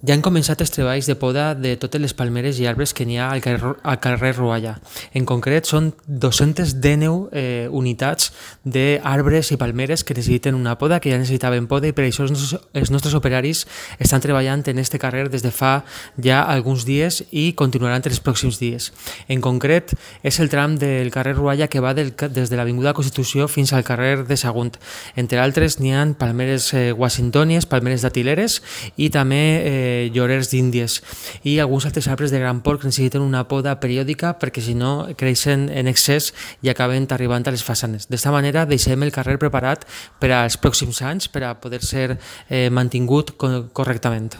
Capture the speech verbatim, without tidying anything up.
Ja han començat els treballs de poda de totes les palmeres i arbres que n'hi ha al carrer, al carrer Rualla. En concret, són dos-centes dinou eh, unitats d'arbres i palmeres que necessiten una poda, que ja necessitaven poda, i per això els nostres, els nostres operaris estan treballant en este carrer des de fa ja alguns dies i continuaran els pròxims dies. En concret, és el tram del carrer Rualla que va del, des de l'Avinguda Constitució fins al carrer de Sagunt. Entre altres, n'hi ha palmeres eh, washingtònies, palmeres datileres i també eh, llorers d'Índies i alguns altres arbres de gran porc que necessiten una poda periòdica perquè si no creixen en excés i acaben arribant a les façanes. D'esta manera deixem el carrer preparat per als pròxims anys per a poder ser eh, mantingut correctament.